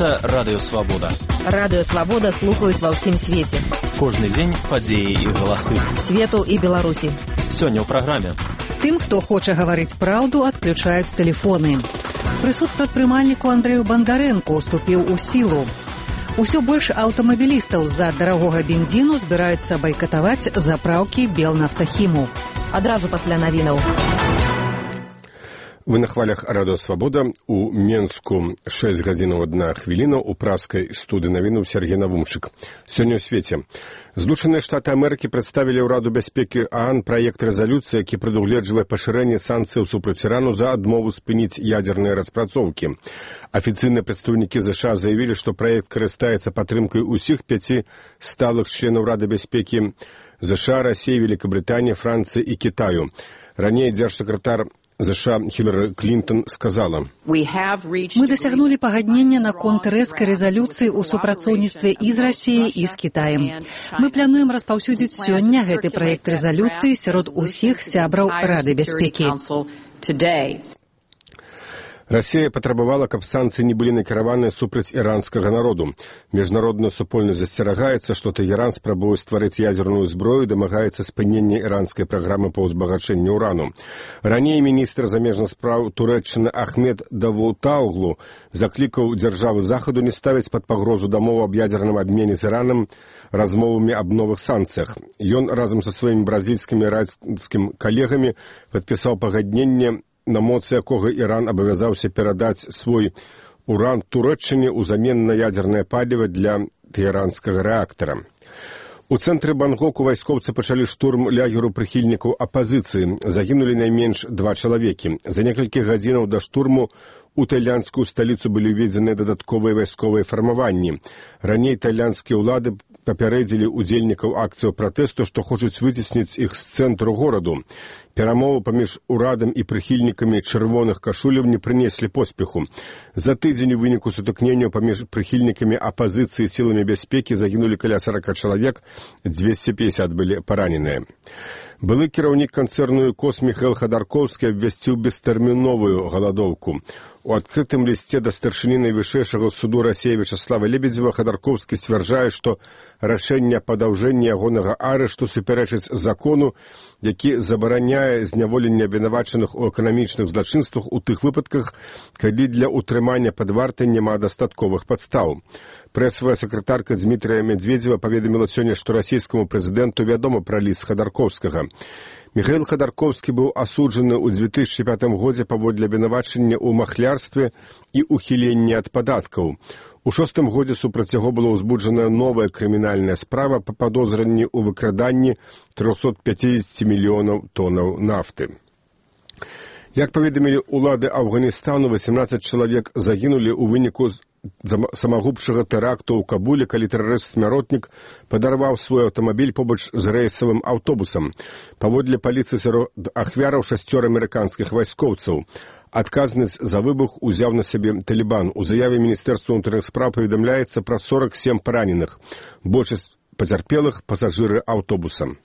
Гэта Радыё Свабода. Радыё Свабода слухаюць ва ўсім свеце. Кожны дзень падзеі і галасы. Свету і Беларусі. Сёння ў праграме. Тым, хто хоча гаварыць праўду, адключаюць тэлефоны. Прысуд прадпрымальніку Андрэю Бандарэнку уступіў у сілу. Усё больш аўтамабілістаў з-за дарагога бензіну збіраюцца байкатаваць запраўкі Белнафтахіму. Адразу пасля навінаў. Вы на хвалях Радыё Свабода. У Менску 6 гадзінаў 1 хвіліна, у праскай студыі навінаў Сергей Навумчык. Сёння ў свеце. Злучаныя Штаты Амерыкі прадставілі ў Раду бяспекі ААН праект рэзалюцыі, які прадугледжвае пашырэнне санкцыяў супраць Ірану за адмову спыніць ядзерныя распрацоўкі. Афіцыйныя прадстаўнікі ЗША заявілі, што праект карыстаецца падтрымкай усіх 5 сталых членаў Рады бяспекі ЗША, Расіі, Великабрытаніі, Францыі і Кітаю. Раней дзяржсакратар ЗША Хілары Клінтон сказала: «Мы дасягнулі пагаднення наконт рэзкай рэзалюцыі ў супрацоўніцтве і з Расіяй, і з Кітаем. Мы плануем распаўсюдзіць сёння гэты праект рэзалюцыі сярод усіх сябраў Рады бяспекі». Расія патрабавала, каб санкцыі не былі накіраваныя супраць іранскага народу. Міжнародная супольнасць засцерагаецца, што Тэгеран спрабуе стварыць ядзерную зброю, дамагаецца спынення іранскай праграмы па ўзбагачэнні ўрану. Раней міністр замежных спраў Турэччыны Ахмед Давутоглу заклікаў дзяржавы Захаду не ставіць пад пагрозу дамову аб ядзерным абмене з Іранам размовамі аб новых санкцыях. Ён разам са сваімі бразільскімі і іранскімі калегамі падпісаў пагадненне, на моцы якога Іран абавязаўся перадаць свой уран Турэччыне ўзамен на ядзернае паліва для тэ헤ранскага рэактара. У цэнтры Бангоку вайскоўцы пачалі штурм лагеру прыхільнікаў апазіцыі. Загінулі найменш 2 чалавекі. За некалькі гадзінаў да штурму у тайландскую сталіцу былі ўведзеныя дадатковыя вайсковыя фармаванні. Раней тайландскія ўлады папярэдзілі удзельнікаў акцыяў пратэсту, што хочуць выцесніць іх з цэнтру гораду. Перамовы паміж урадам і прыхільнікамі чырвоных кашуляў не прынеслі поспеху. За тыдзень у выніку сутыкненняў паміж прыхільнікамі апазіцыі і сіламі бяспекі загінулі каля 40 чалавек, 250 былі параненыя. Былы кіраўнік канцэрну «ЮКОС» Міхаіл Хадаркоўскі абвясціў бестэрміновую галадоўку. У адкрытым лісце да старшыні найвышэйшага суду Расіі Вячаслава Лебедзева Хадаркоўскі сцвярджае, што рашэнне аб падаўжэнні ягонага арышту супярэчыць закону, які забараняе зняволенне абвінавачаных у эканамічных злачынствах у тых выпадках, калі для ўтрымання пад вартай няма дастатковых падстаў. Прэсавая сакратарка Дмітрыя Медведзева паведаміла сёння, што расійскаму прэзідэнту вядома пра ліст Хадаркоўскага. Міхаіл Хадаркоўскі быў асуджаны ў 2005 годзе паводле абвінавачання ў махлярстве і ухіленні ад падаткаў. У 2006 годзе супраць яго была ўзбуджана новая крымінальная справа па падозранні ў выкраданні 350 мільёнаў тоннаў нафты. Як паведамілі ўлады Афганістану, 18 чалавек загінулі ў выніку самагубчага тэракту ў Кабуле, калі тэрарыст-смяротнік падарваў свой аўтамабіль побач з рэйсавым аўтобусам. Паводле паліцыі сярод ахвяраў 6 амерыканскіх вайскоўцаў. Адказнасць за выбух узяў на сябе Талібан. У заяве Міністэрства ўнутраных спраў паведамляецца пра 47 параненых. Большасць пацярпелых пасажыры аўтобуса.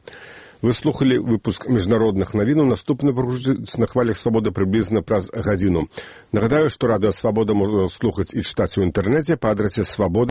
Вы слухали выпуск міжнародных навінаў. Наступны прагучыць на хвалях Свабоды прыблізна праз гадзіну. Нагадаю, што Радыё Свабода можна слухаць і чытаць у інтэрнэце па адрасе свабода.